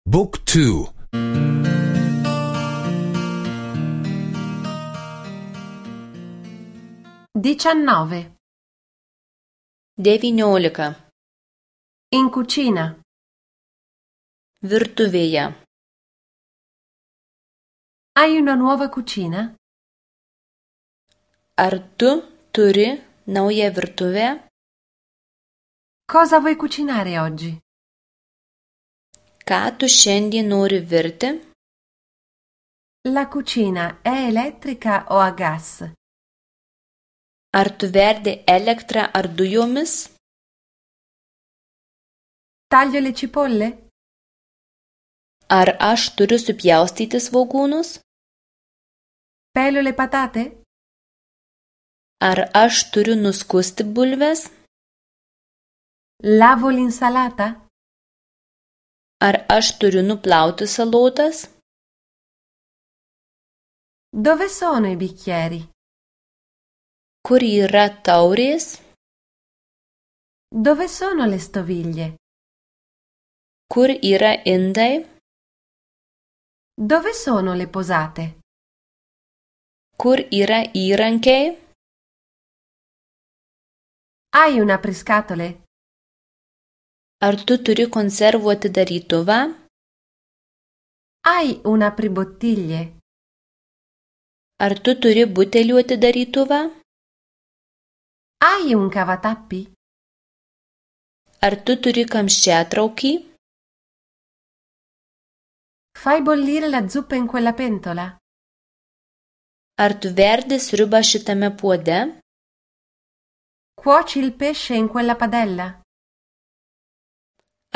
Book 2. 19. 19. In cucina. Virtuvėje. Hai una nuova cucina? Ar tu turi naują virtuvę? Cosa vuoi cucinare oggi? Ką tu šiandien nori virti? La cucina è elettrica o a gas? Ar tu verdi elektrą ar dujomis? Taglio le cipolle? Ar aš turiu supjaustyti svogūnus? Pelo le patate? Ar aš turiu nuskusti bulves? Lavo l'insalata? Ar aš turiu nuplauti salotas? Dove sono i bicchieri? Kur yra taurės? Dove sono le stoviglie? Kur yra indai? Dove sono le posate? Kur yra įrankiai? Hai un apriscatole? Ar tu turi konservų atidarytuvą? Hai un apribottiglie? Ar tu turi butelių atidarytuvą? Hai un cavatappi? Ar tu turi kamščiatraukį? Fai bollire la zuppa in quella pentola? Ar tu verdi sriubą šitame puode? Cuoci il pesce in quella padella?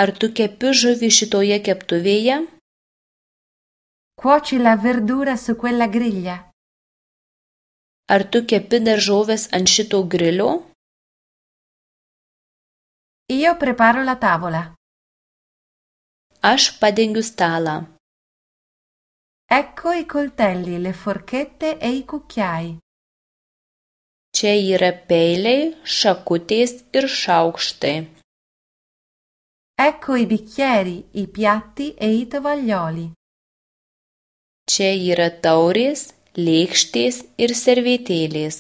Ar tu kepi žuvį šitoje keptuvėje? Cuoci la verdura su quella griglia? Ar tu kepi daržoves ant šito grilio? Io preparo la tavola. Aš padengiu stalą. Ecco i coltelli, le forchette e i cucchiai. Čia yra peiliai, šakutės ir šaukštai. Ecco i bicchieri, i piatti e i tovaglioli. Čia yra taurės, lėkštės ir servetėlės.